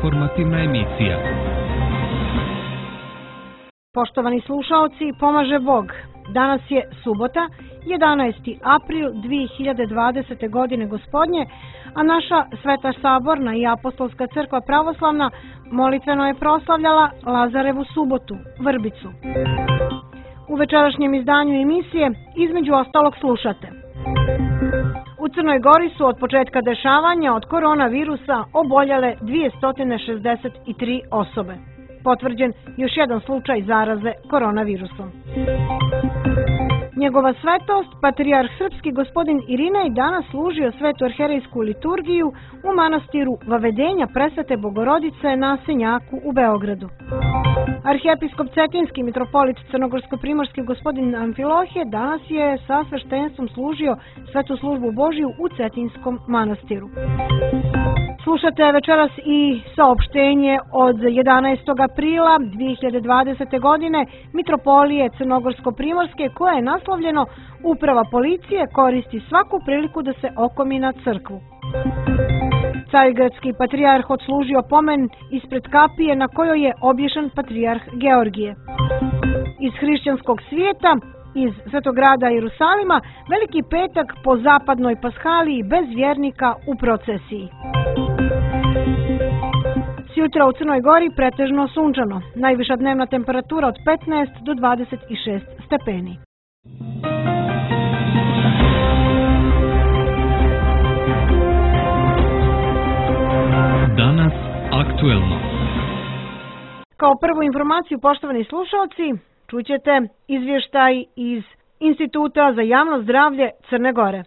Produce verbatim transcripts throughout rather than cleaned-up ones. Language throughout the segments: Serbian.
informativna emisija. Poštovani slušaoci, pomaže Bog. Danas je subota, jedanaesti april dve hiljade dvadesete. godine gospodnje, a naša Sveta saborna i apostolska crkva pravoslavna molitveno je proslavljala Lazarevu subotu, Vrbicu. U večerašnjem izdanju emisije između ostalog slušate: u Crnoj Gori su od početka dešavanja od koronavirusa oboljele dvesta šezdeset tri osobe. Potvrđen još jedan slučaj zaraze koronavirusom. Njegova svetost, patrijarh srpski gospodin Irinej, danas služio svetu arherejsku liturgiju u manastiru Vavedenja Presvete Bogorodice na Senjaku u Beogradu. Arhijepiskop Cetinski mitropolit crnogorsko-primorski gospodin Amfilohije danas je sa sveštenstvom služio svetu službu Božiju u Cetinskom manastiru. Slušate večeras i saopštenje od jedanaestog aprila dve hiljade dvadesete. godine mitropolije Crnogorsko-primorske, koje je naslovljeno Uprava policije koristi svaku priliku da se okomi na crkvu. Carigradski patrijarh odslužio pomen ispred kapije na kojoj je obješen patrijarh Georgije. Iz hrišćanskog svijeta, iz Svetograda Jerusalima, Veliki petak po zapadnoj pashaliji bez vjernika u procesiji. Sjutra u Crnoj Gori pretežno sunčano, najviša dnevna temperatura od petnaest do dvadeset šest stepeni. Danas aktuelno. Kao prvu informaciju, poštovani slušalci, čućete izvještaj iz Instituta za javno zdravlje Crne Gore.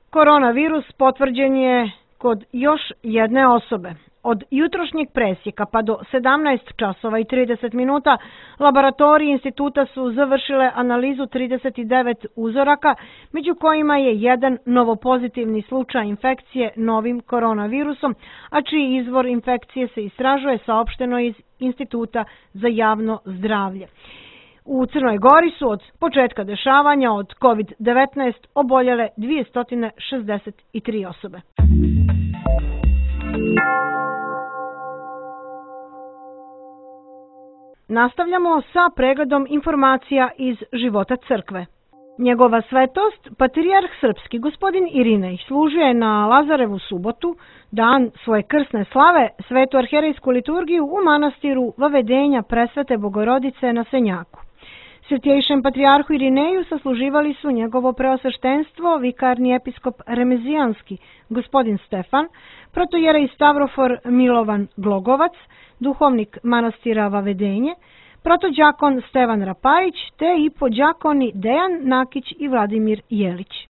Koronavirus potvrđen je kod još jedne osobe. Od jutrošnjeg presjeka pa do sedamnaest časova i trideset minuta laboratoriji instituta su završile analizu trideset devet uzoraka, među kojima je jedan novopozitivni slučaj infekcije novim koronavirusom, a čiji izvor infekcije se istražuje, saopšteno iz Instituta za javno zdravlje. U Crnoj Gori su od početka dešavanja od kovid devetnaest oboljele dvesta šezdeset tri osobe. Nastavljamo sa pregledom informacija iz života crkve. Njegova svetost, patrijarh srpski gospodin Irinej, služio je na Lazarevu subotu, dan svoje krsne slave, svetu arherejsku liturgiju u manastiru Vavedenja Presvete Bogorodice na Senjaku. Svetjejšem patrijarhu Irineju sasluživali su njegovo preosveštenstvo, vikarni episkop Remezijanski gospodin Stefan, protojerej Stavrofor Milovan Glogovac, duhovnik manastira Vavedenje, protođakon Stevan Rapajić te i podđakoni Dejan Nakić i Vladimir Jelić.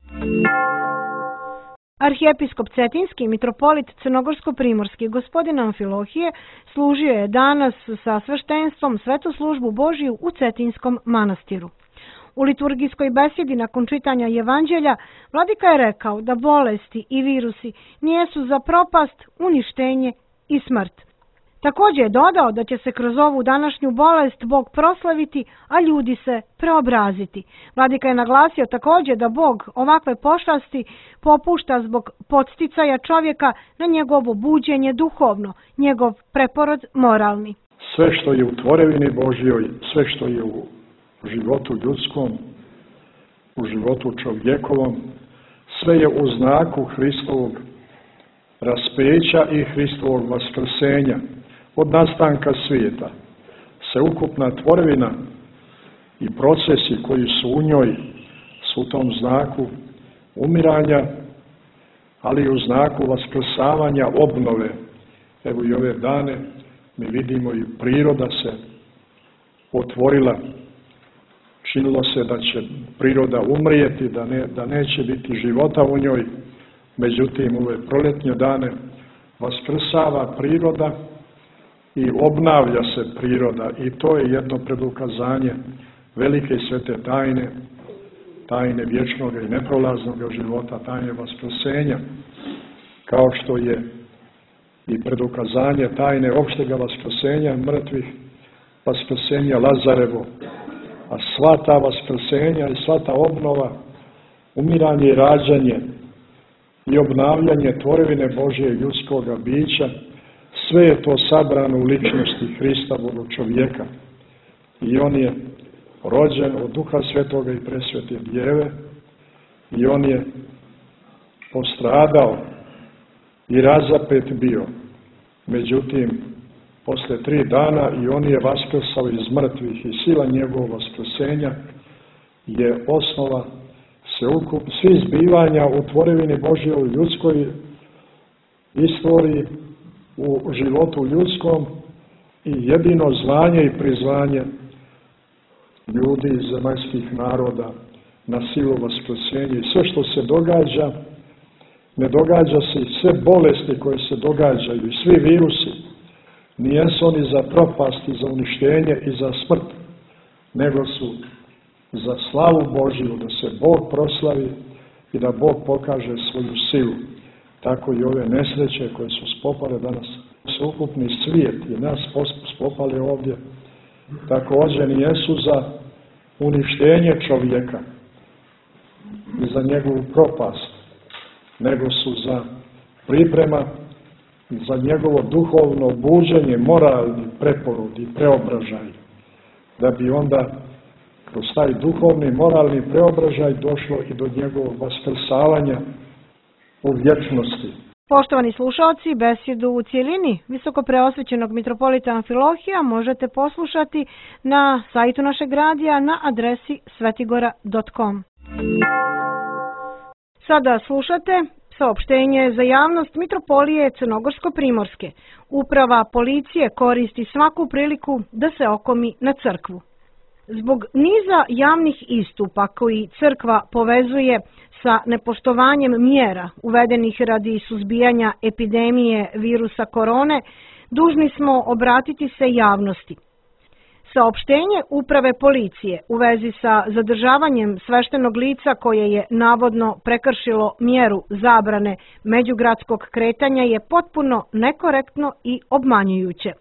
Arhijepiskop Cetinski mitropolit Crnogorsko-primorski gospodin Amfilohije služio je danas sa sveštenstvom svetu službu Božiju u Cetinskom manastiru. U liturgijskoj besjedi nakon čitanja Evanđelja vladika je rekao da bolesti i virusi nijesu za propast, uništenje i smrt. Također je dodao da će se kroz ovu današnju bolest Bog proslaviti, a ljudi se preobraziti. Vladika je naglasio također da Bog ovakve pošasti popušta zbog podsticaja čovjeka na njegovo buđenje duhovno, njegov preporod moralni. Sve što je u tvorevini Božjoj, sve što je u životu ljudskom, u životu čovjekovom, sve je u znaku Hristovog raspeća i Hristovog vaskrsenja. Od nastanka svijeta se ukupna tvorevina i procesi koji su u njoj su u tom znaku umiranja, ali i u znaku vaskrsavanja, obnove. Evo i ove dane mi vidimo i priroda se otvorila. Činilo se da će priroda umrijeti, da, ne, da neće biti života u njoj. Međutim, u ove proljetnje dane vaskrsava priroda i obnavlja se priroda, i to je jedno predukazanje velike i svete tajne, tajne vječnog i neprolaznog života, tajne vaskrsenja, kao što je i predukazanje tajne opštega vaskrsenja mrtvih, vaskrsenja Lazarevo, a sva ta vaskrsenja i sva ta obnova, umiranje i rađanje i obnavljanje tvorevine Božje ljudskoga bića Sve je to sabrano u ličnosti Hrista Bogočovjeka. I on je rođen od Duha Svetoga i Presvete Djeve i on je postradao i razapet bio. Međutim, posle tri dana i on je vaskrsao iz mrtvih i sila njegovog vaskrsenja je osnova sveukup svih zbivanja u tvorevini Božjoj, u ljudskoj istoriji, u životu ljudskom i jedino zvanje i prizvanje ljudi iz zemaljskih naroda na silu vaskrsenja. I sve što se događa, ne događa se i sve bolesti koje se događaju i svi virusi, nijesu oni za propast i za uništenje i za smrt, nego su za slavu Božju, da se Bog proslavi i da Bog pokaže svoju silu. Tako i ove nesreće koje su spopale danas, sveukupni svijet i nas spopale ovdje, također nijesu za uništenje čovjeka i za njegovu propast, nego su za priprema za njegovo duhovno buđenje, moralni preporod i preobražaj, da bi onda kroz taj duhovni, moralni preobražaj došlo i do njegovog vaskrsavanja u vječnosti. Poštovani slušalci, besedu u cijelini visokopreosvećenog mitropolita Amfilohija možete poslušati na sajtu našeg radija na adresi svetigora dot com. Sada slušate saopštenje za javnost Mitropolije Crnogorsko-Primorske. Uprava policije koristi svaku priliku da se okomi na crkvu. Zbog niza javnih istupa koji crkva povezuje sa nepoštovanjem mjera uvedenih radi suzbijanja epidemije virusa korone, dužni smo obratiti se javnosti. Saopštenje Uprave policije u vezi sa zadržavanjem sveštenog lica koje je navodno prekršilo mjeru zabrane međugradskog kretanja je potpuno nekorektno i obmanjujuće.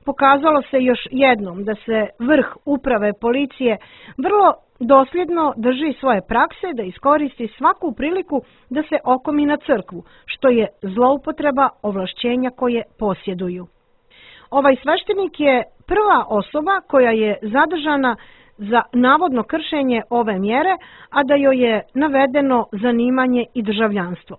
Pokazalo se još jednom da se vrh Uprave policije vrlo dosljedno drži svoje prakse da iskoristi svaku priliku da se okomi na crkvu, što je zloupotreba ovlašćenja koje posjeduju. Ovaj sveštenik je prva osoba koja je zadržana za navodno kršenje ove mjere, a da joj je navedeno zanimanje i državljanstvo.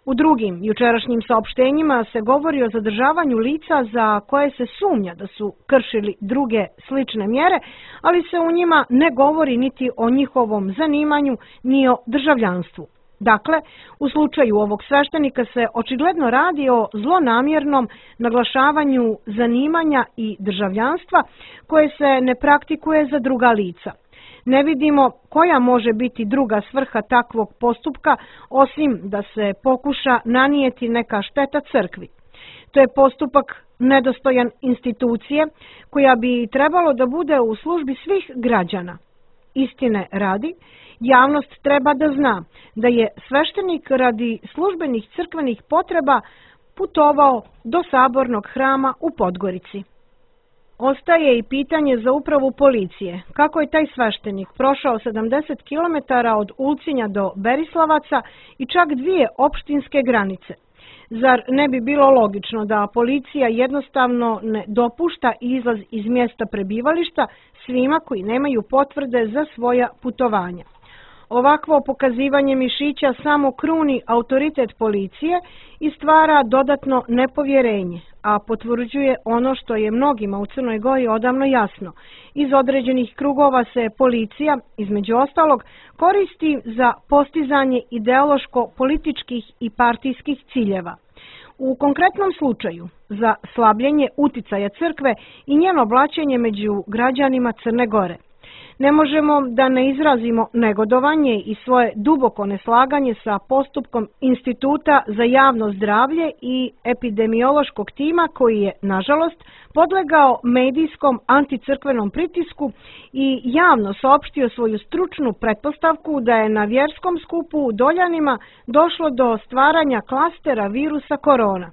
U drugim jučerašnjim saopštenjima se govori o zadržavanju lica za koje se sumnja da su kršili druge slične mjere, ali se u njima ne govori niti o njihovom zanimanju ni o državljanstvu. Dakle, u slučaju ovog sveštenika se očigledno radi o zlonamjernom naglašavanju zanimanja i državljanstva koje se ne praktikuje za druga lica. Ne vidimo koja može biti druga svrha takvog postupka osim da se pokuša nanijeti neka šteta crkvi. To je postupak nedostojan institucije koja bi trebalo da bude u službi svih građana. Istine radi, javnost treba da zna da je sveštenik radi službenih crkvenih potreba putovao do sabornog hrama u Podgorici. Ostaje i pitanje za upravu policije. Kako je taj sveštenik prošao sedamdeset kilometara od Ulcinja do Berislavaca i čak dvije opštinske granice? Zar ne bi bilo logično da policija jednostavno ne dopušta izlaz iz mjesta prebivališta svima koji nemaju potvrde za svoja putovanja? Ovakvo pokazivanje mišića samo kruni autoritet policije i stvara dodatno nepovjerenje, a potvrđuje ono što je mnogima u Crnoj Gori odavno jasno. Iz određenih krugova se policija, između ostalog, koristi za postizanje ideološko-političkih i partijskih ciljeva. U konkretnom slučaju, za slabljenje uticaja crkve i njeno blaćenje među građanima Crne Gore. Ne možemo da ne izrazimo negodovanje i svoje duboko neslaganje sa postupkom Instituta za javno zdravlje i epidemiološkog tima koji je, nažalost, podlegao medijskom anticrkvenom pritisku i javno saopštio svoju stručnu pretpostavku da je na vjerskom skupu u Doljanima došlo do stvaranja klastera virusa korona.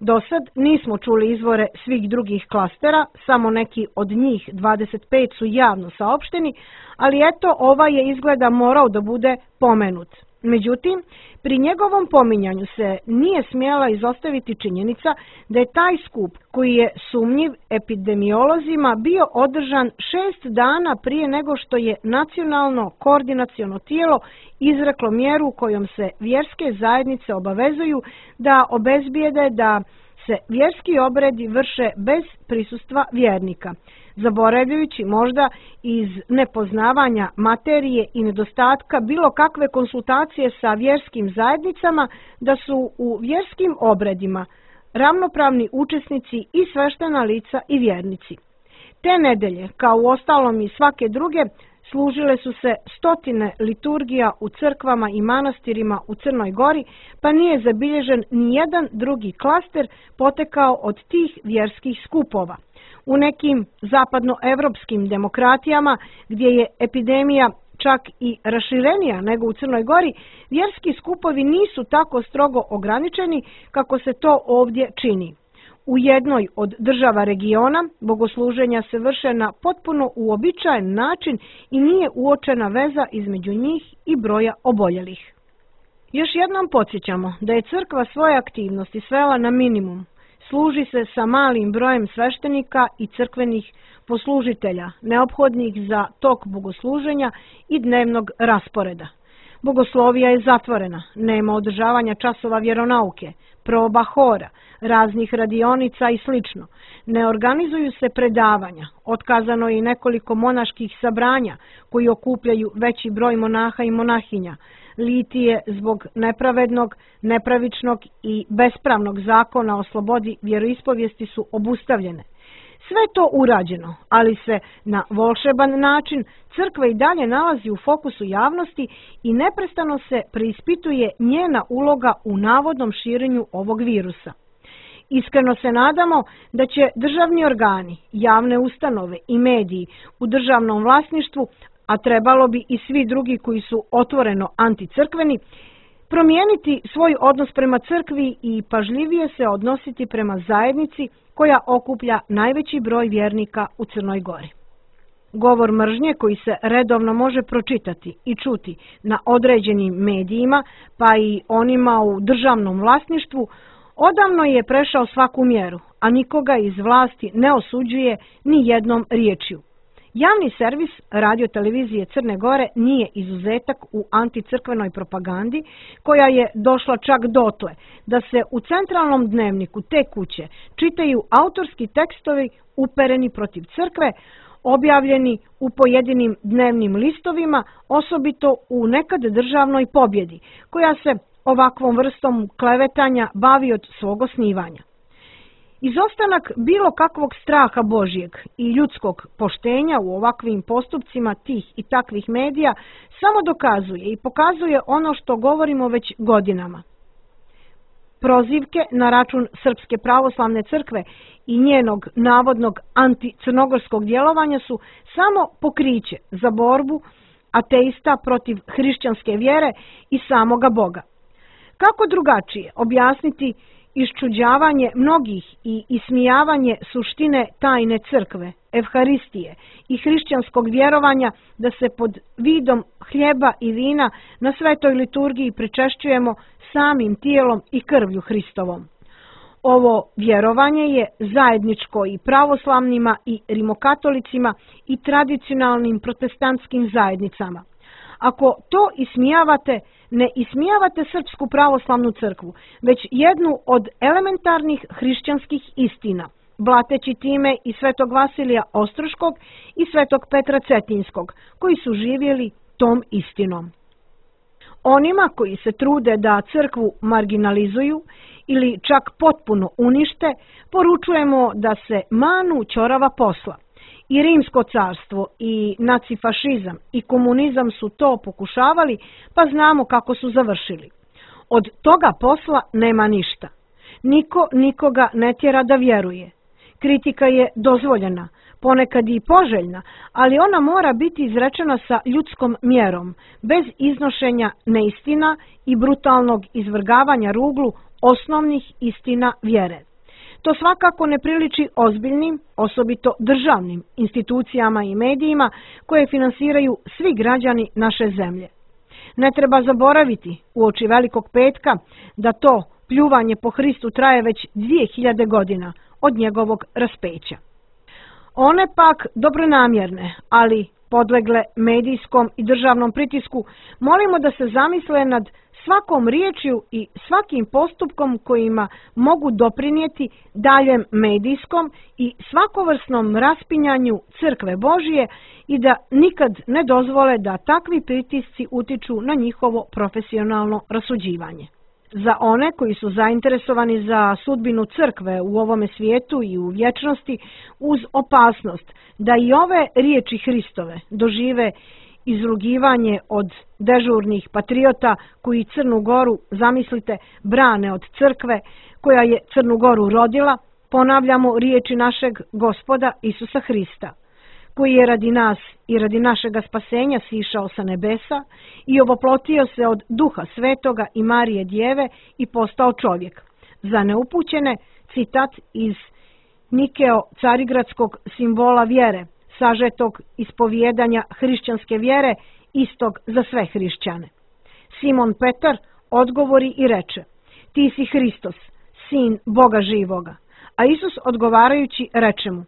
Do sad nismo čuli izvore svih drugih klastera, samo neki od njih dvadeset pet su javno saopšteni, ali eto ovaj je izgleda morao da bude pomenut. Međutim, pri njegovom pominjanju se nije smjela izostaviti činjenica da je taj skup, koji je sumnjiv epidemiolozima, bio održan šest dana prije nego što je nacionalno koordinaciono tijelo izreklo mjeru kojom se vjerske zajednice obavezuju da obezbijede da se vjerski obredi vrše bez prisustva vjernika, zaboravljajući možda iz nepoznavanja materije i nedostatka bilo kakve konsultacije sa vjerskim zajednicama da su u vjerskim obredima ravnopravni učesnici i sveštena lica i vjernici. Te nedelje, kao u ostalom i svake druge, služile su se stotine liturgija u crkvama i manastirima u Crnoj Gori, pa nije zabilježen ni jedan drugi klaster potekao od tih vjerskih skupova. U nekim zapadnoevropskim demokratijama, gdje je epidemija čak i raširenija nego u Crnoj Gori, vjerski skupovi nisu tako strogo ograničeni kako se to ovdje čini. U jednoj od država regiona bogosluženja se vrše na potpuno uobičajen način i nije uočena veza između njih i broja oboljelih. Još jednom podsjećamo da je crkva svoje aktivnosti svela na minimum. Služi se sa malim brojem sveštenika i crkvenih poslužitelja, neophodnih za tok bogosluženja i dnevnog rasporeda. Bogoslovija je zatvorena, nema održavanja časova vjeronauke, proba hora, raznih radionica i slično. Ne organizuju se predavanja, otkazano je i nekoliko monaških sabranja koji okupljaju veći broj monaha i monahinja. Litije zbog nepravednog, nepravičnog i bespravnog zakona o slobodi vjeroispovijesti su obustavljene. Sve to urađeno, ali se na volšeban način crkva i dalje nalazi u fokusu javnosti i neprestano se preispituje njena uloga u navodnom širenju ovog virusa. Iskreno se nadamo da će državni organi, javne ustanove i mediji u državnom vlasništvu, a trebalo bi i svi drugi koji su otvoreno anticrkveni, promijeniti svoj odnos prema crkvi i pažljivije se odnositi prema zajednici koja okuplja najveći broj vjernika u Crnoj Gori. Govor mržnje koji se redovno može pročitati i čuti na određenim medijima, pa i onima u državnom vlasništvu, odavno je prešao svaku mjeru, a nikoga iz vlasti ne osuđuje ni jednom riječju. Javni servis radio-televizije Crne Gore nije izuzetak u anticrkvenoj propagandi, koja je došla čak dotle da se u centralnom dnevniku te kuće čitaju autorski tekstovi upereni protiv crkve, objavljeni u pojedinim dnevnim listovima, osobito u nekad državnoj pobjedi, koja se ovakvom vrstom klevetanja bavi od svog osnivanja. Izostanak bilo kakvog straha Božjeg i ljudskog poštenja u ovakvim postupcima tih i takvih medija samo dokazuje i pokazuje ono što govorimo već godinama. Prozivke na račun Srpske pravoslavne crkve i njenog navodnog anticrnogorskog djelovanja su samo pokriće za borbu ateista protiv hrišćanske vjere i samoga Boga. Kako drugačije objasniti iščuđavanje mnogih i ismijavanje suštine tajne crkve, evharistije i hrišćanskog vjerovanja da se pod vidom hljeba i vina na svetoj liturgiji pričešćujemo samim tijelom i krvlju Hristovom? Ovo vjerovanje je zajedničko i pravoslavnima i rimokatolicima i tradicionalnim protestantskim zajednicama. Ako to ismijavate, ne ismijavate Srpsku pravoslavnu crkvu, već jednu od elementarnih hrišćanskih istina, blateći time i svetog Vasilija Ostroškog i svetog Petra Cetinskog, koji su živjeli tom istinom. Onima koji se trude da crkvu marginalizuju ili čak potpuno unište, poručujemo da se manu ćorava posla. I Rimsko carstvo i nacifašizam i komunizam su to pokušavali, pa znamo kako su završili. Od toga posla nema ništa. Niko nikoga ne tjera da vjeruje. Kritika je dozvoljena, ponekad i poželjna, ali ona mora biti izrečena sa ljudskom mjerom, bez iznošenja neistina i brutalnog izvrgavanja ruglu osnovnih istina vjere. To svakako ne priliči ozbiljnim, osobito državnim institucijama i medijima koje finansiraju svi građani naše zemlje. Ne treba zaboraviti uoči Velikog petka da to pljuvanje po Hristu traje već dvije hiljade godina od njegovog raspeća. One pak dobronamjerne, ali podlegle medijskom i državnom pritisku, molimo da se zamisle nad svakom riječju i svakim postupkom kojima mogu doprinijeti daljem medijskom i svakovrsnom raspinjanju crkve Božije i da nikad ne dozvole da takvi pritisci utiču na njihovo profesionalno rasuđivanje. Za one koji su zainteresovani za sudbinu crkve u ovome svijetu i u vječnosti, uz opasnost da i ove riječi Hristove dožive izrugivanje od dežurnih patriota koji Crnu Goru, zamislite, brane od crkve koja je Crnu Goru rodila, ponavljamo riječi našeg Gospoda Isusa Hrista, koji je radi nas i radi našega spasenja sišao sa nebesa i ovoplotio se od Duha Svetoga i Marije Djeve i postao čovjek. Za neupućene, citat iz Nikeo carigradskog simbola vjere, sažetog ispovijedanja hrišćanske vjere, istog za sve hrišćane. Simon Petar odgovori i reče: ti si Hristos, sin Boga živoga. A Isus odgovarajući reče mu: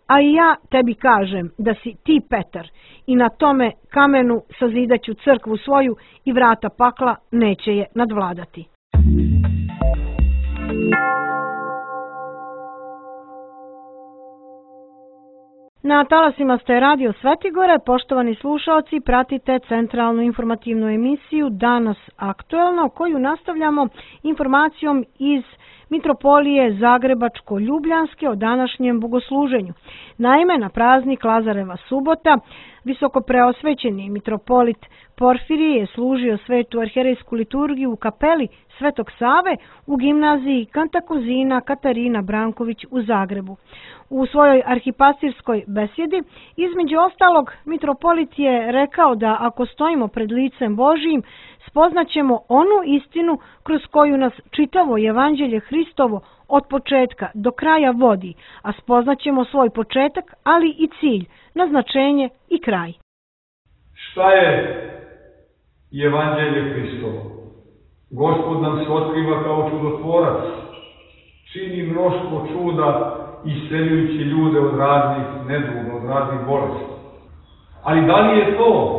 a i ja tebi kažem da si ti Petar i na tome kamenu sazidaću crkvu svoju i vrata pakla neće je nadvladati. Na talasima ste Radio Svetigore, poštovani slušalci, pratite centralnu informativnu emisiju Danas aktuelno, koju nastavljamo informacijom iz Mitropolije Zagrebačko-Ljubljanske o današnjem bogosluženju. Naime, na praznik Lazareva subota visokopreosvećeni mitropolit Porfirije je služio svetu arherejsku liturgiju u kapeli Svetog Save u gimnaziji Kantakuzina Katarina Branković u Zagrebu. U svojoj arhipastirskoj besjedi, između ostalog, mitropolit je rekao da ako stojimo pred licem Božijim, spoznaćemo onu istinu kroz koju nas čitavo evanđelje Hristovo od početka do kraja vodi, a spoznaćemo svoj početak, ali i cilj, naznačenje i kraj. Šta je evanđelje Hristovo? Gospod nam se otkriva kao čudotvorac, čini mnoštvo čuda isceljujući ljude od raznih neduga, od raznih bolesti. Ali da li je to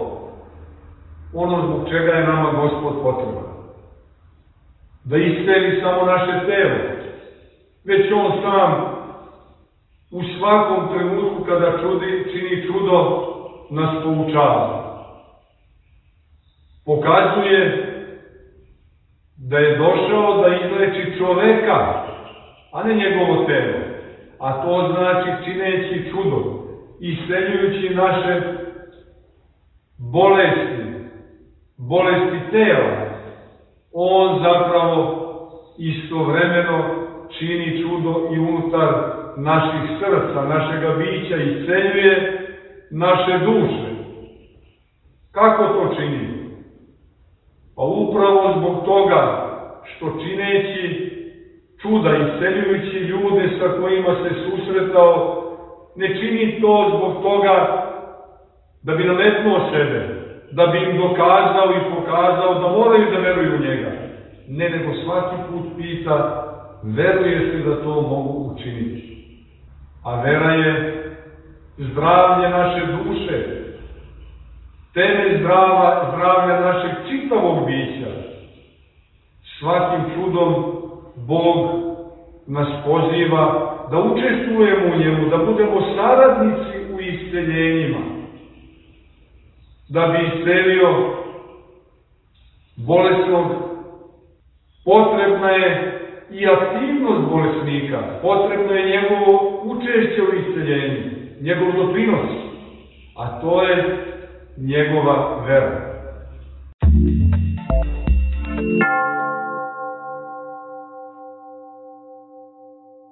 ono zbog čega je nama Gospod potreban? Da isceli samo naše telo, već On sam u svakom trenutku kada čudi, čini čudo, nas poučava. Pokazuje da je došao da izleči čoveka, a ne njegovo telo. A to znači čineći čudo, isceljujući naše bolesti, bolesti tela. On zapravo istovremeno čini čudo i unutar naših srca, našega bića, isceljuje naše duše. Kako to čini? Pa upravo zbog toga što čineći čuda, isceljujući ljude sa kojima se susretao, ne čini to zbog toga da bi nametnuo sebe, da bi im dokazao i pokazao da moraju da veruju u njega. Ne, nego svaki put pita: veruješ li da to mogu učiniti? A vera je zdravlje naše duše, temelj zdrava, zdravlja našeg čitavog bića. Svakim čudom Bog nas poziva da učestvujemo u njemu, da budemo saradnici u isceljenjima. Da bi iscelio bolesnog, potrebna je i aktivnost bolesnika, potrebno je njegovo učešće u isceljenju, njegov doprinos, a to je njegova vera.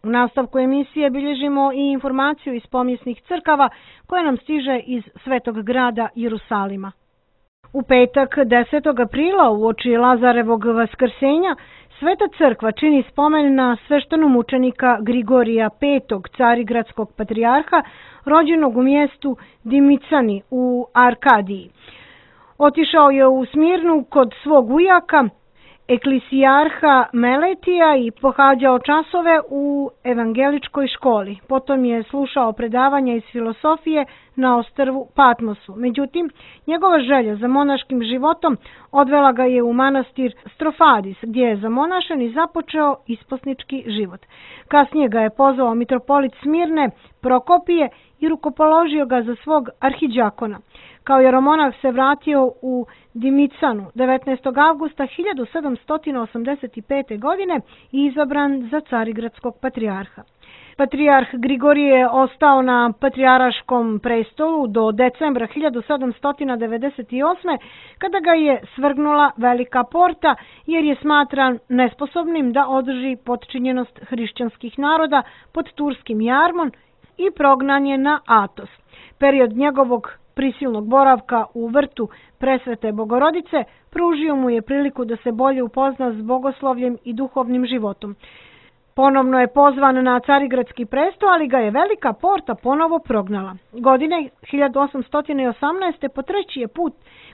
U nastavku emisije bilježimo i informaciju iz pomjesnih crkava koja nam stiže iz Svetog grada Jerusalima. U petak desetog aprila uoči Lazarevog vaskrsenja Sveta crkva čini spomen na sveštenomučenika Grigorija petog, carigradskog patrijarha, rođenog u mjestu Dimicani u Arkadiji. Otišao je u Smirnu kod svog ujaka, eklisijarha Meletija, i pohađao časove u evangeličkoj školi. Potom je slušao predavanja iz filosofije na ostrvu Patmosu. Međutim, njegova želja za monaškim životom odvela ga je u manastir Strofadis, gdje je zamonašen i započeo isposnički život. Kasnije ga je pozvao mitropolit Smirne Prokopije i rukopoložio ga za svog arhiđakona. Kao jeromonah se vratio u Dimicanu devetnaestog avgusta hiljadu sedamsto osamdeset pete. godine i izabran za carigradskog patrijarha. Patrijarh Grigorije je ostao na patrijaraškom prestolu do decembra hiljadu sedamsto devedeset osme. kada ga je svrgnula Velika Porta, jer je smatran nesposobnim da održi potčinjenost hrišćanskih naroda pod turskim jarmom i prognan je na Atos. Period njegovog prisilnog boravka u vrtu Presvete Bogorodice pružio mu je priliku da se bolje upozna s bogoslovljem i duhovnim životom. Ponovno je pozvan na carigradski presto, ali ga je Velika Porta ponovo prognala. Godine hiljadu osamsto osamnaeste. po treći je put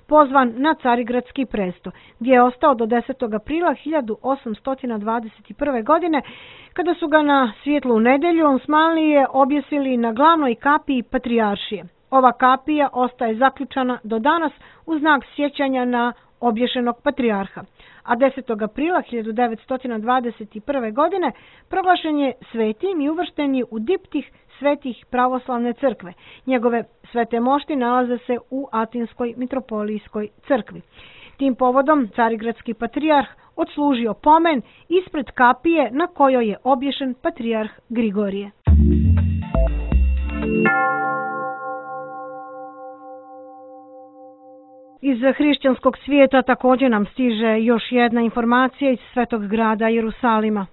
pozvan na carigradski presto, gdje je ostao do desetog aprila hiljadu osamsto dvadeset prve. godine, kada su ga na Svijetlu nedelju Osmanlije objesili na glavnoj kapiji patrijaršije. Ova kapija ostaje zaključana do danas u znak sjećanja na obješenog patrijarha, a desetog aprila hiljadu devetsto dvadeset prve. godine proglašen je svetim i uvršten je u diptih svetih pravoslavne crkve. Njegove svete mošti nalaze se u Atinskoj mitropolijskoj crkvi. Tim povodom carigradski patrijarh odslužio pomen ispred kapije na kojoj je obješen patrijarh Grigorije. Iz hrišćanskog svijeta također nam stiže još jedna informacija iz svetog grada Jerusalima.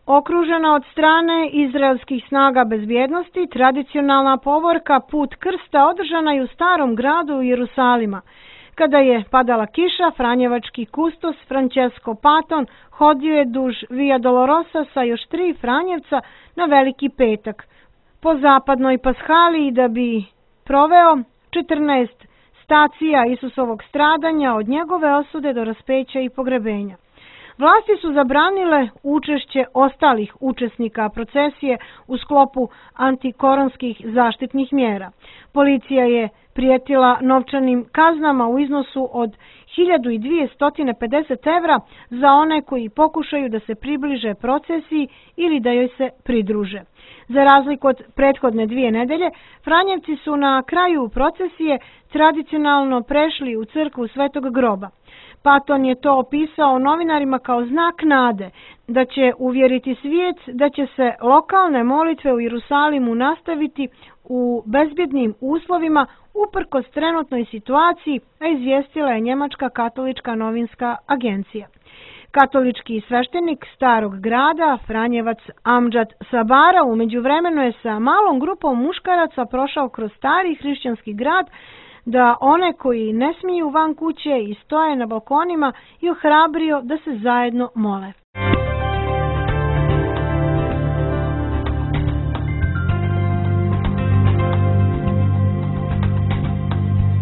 Okružena od strane izraelskih snaga bezbjednosti, tradicionalna povorka Put krsta održana je u starom gradu Jerusalima. Kada je padala kiša, franjevački kustos Francesco Paton hodio je duž Via Dolorosa sa još tri franjevca na Veliki petak po zapadnoj paschaliji da bi proveo četrnaest stacija Isusovog stradanja od njegove osude do raspeća i pogrebenja. Vlasti su zabranile učešće ostalih učesnika procesije u sklopu antikoronskih zaštitnih mjera. Policija je prijetila novčanim kaznama u iznosu od hiljadu dvjesto pedeset evra za one koji pokušaju da se približe procesiji ili da joj se pridruže. Za razliku od prethodne dvije nedelje, Franjevci su na kraju procesije tradicionalno prešli u crkvu Svetog groba. Paton je to opisao novinarima kao znak nade, da će uvjeriti svijet da će se lokalne molitve u Jerusalimu nastaviti u bezbjednim uslovima uprkos trenutnoj situaciji, a izvijestila je Njemačka katolička novinska agencija. Katolički sveštenik starog grada, Franjevac Amdžad Sabara, u međuvremenu je sa malom grupom muškaraca prošao kroz stari hrišćanski grad da one koji ne smiju van kuće i stoje na balkonima i ohrabrio da se zajedno mole.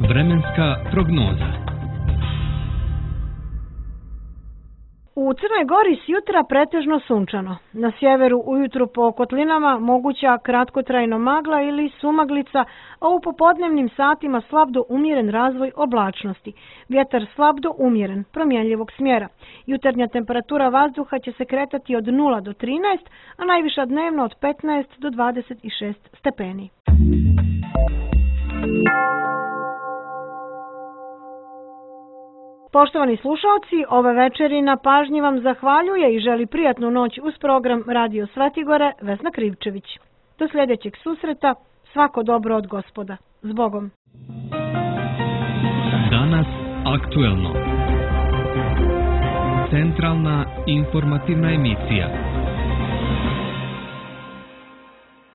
Vremenska prognoza. U Crnoj Gori s jutra pretežno sunčano. Na sjeveru ujutru po kotlinama moguća kratkotrajno magla ili sumaglica, a u popodnevnim satima slab do umjeren razvoj oblačnosti. Vjetar slab do umjeren, promjenljivog smjera. Jutarnja temperatura vazduha će se kretati od nula do trinaest, a najviša dnevno od petnaest do dvadeset šest stepeni. Poštovani slušalci, ove večeri na pažnji vam zahvaljuje i želi prijatnu noć uz program Radio Svetigore Vesna Krivčević. Do sljedećeg susreta, svako dobro od Gospoda. S Bogom! Danas aktuelno. Centralna informativna emisija.